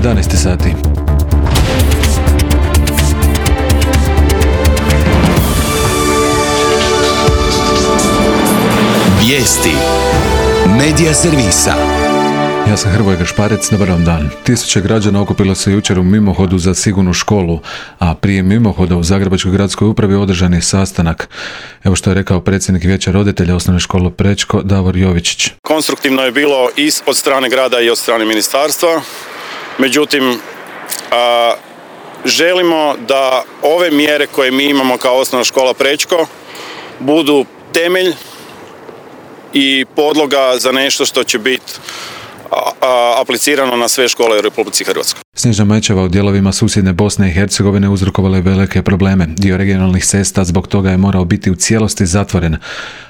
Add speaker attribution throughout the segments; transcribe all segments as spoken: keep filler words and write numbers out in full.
Speaker 1: jedanaest sati.
Speaker 2: Vijesti Medija servisa.
Speaker 1: Ja sam Hrvoje Gašparec, dobar vam dan. Tisuće građana okupilo se jučer u mimohodu za sigurnu školu, a prije mimohoda u Zagrebačkoj gradskoj upravi održan je sastanak. Evo što je rekao predsjednik Vijeća roditelja osnovne škole Prečko, Davor Jovičić.
Speaker 3: Konstruktivno je bilo i od strane grada i od strane ministarstva, međutim a, želimo da ove mjere koje mi imamo kao osnovna škola Prečko budu temelj i podloga za nešto što će biti aplicirano na sve škole u Republici Hrvatskoj.
Speaker 1: Snježna mećava u dijelovima susjedne Bosne i Hercegovine uzrokovala je velike probleme. Dio regionalnih cesta zbog toga je morao biti u cijelosti zatvoren,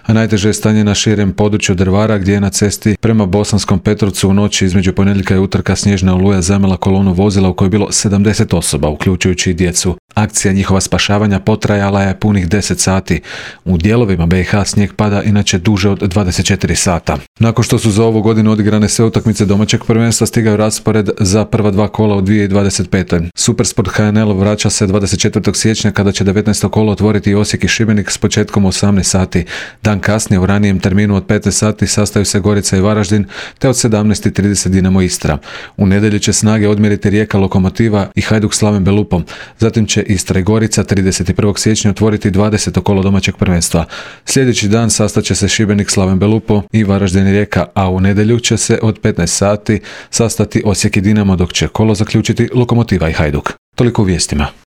Speaker 1: a najteže je stanje na širem području Drvara, gdje je na cesti prema Bosanskom Petrovcu u noći između ponedjeljka i utorka snježna oluja zamela kolonu vozila u kojoj je bilo sedamdeset osoba, uključujući i djecu. Akcija njihova spašavanja potrajala je punih deset sati. U dijelovima B i H snijeg pada inače duže od dvadeset četiri sata. Nakon što su za ovu godinu odigrane sve utakmice domaćeg prvenstva, stigao raspored za prva dva kola u dvije tisuće dvadeset pete. Supersport H N L vraća se dvadeset četvrtog siječnja kada će devetnaesto kolo otvoriti Osijek i Šibenik s početkom u osamnaest sati. Dan kasnije u ranijem terminu od petnaest sati sastaju se Gorica i Varaždin, te od sedamnaest i trideset Dinamo Istra. U nedjelju će snage odmjeriti Rijeka Lokomotiva i Hajduk Slaven Belupom. Zatim će Istra i Gorica trideset prvog siječnja otvoriti dvadeseto kolo domaćeg prvenstva. Sljedeći dan sastaće se Šibenik Slaven Belupo i Varaždin i Rijeka, a u nedjelju će se od petnaest sati sastati Osijek i Dinamo, dok će kolo zaključiti Lokomotiva i Hajduk. Toliko u vijestima.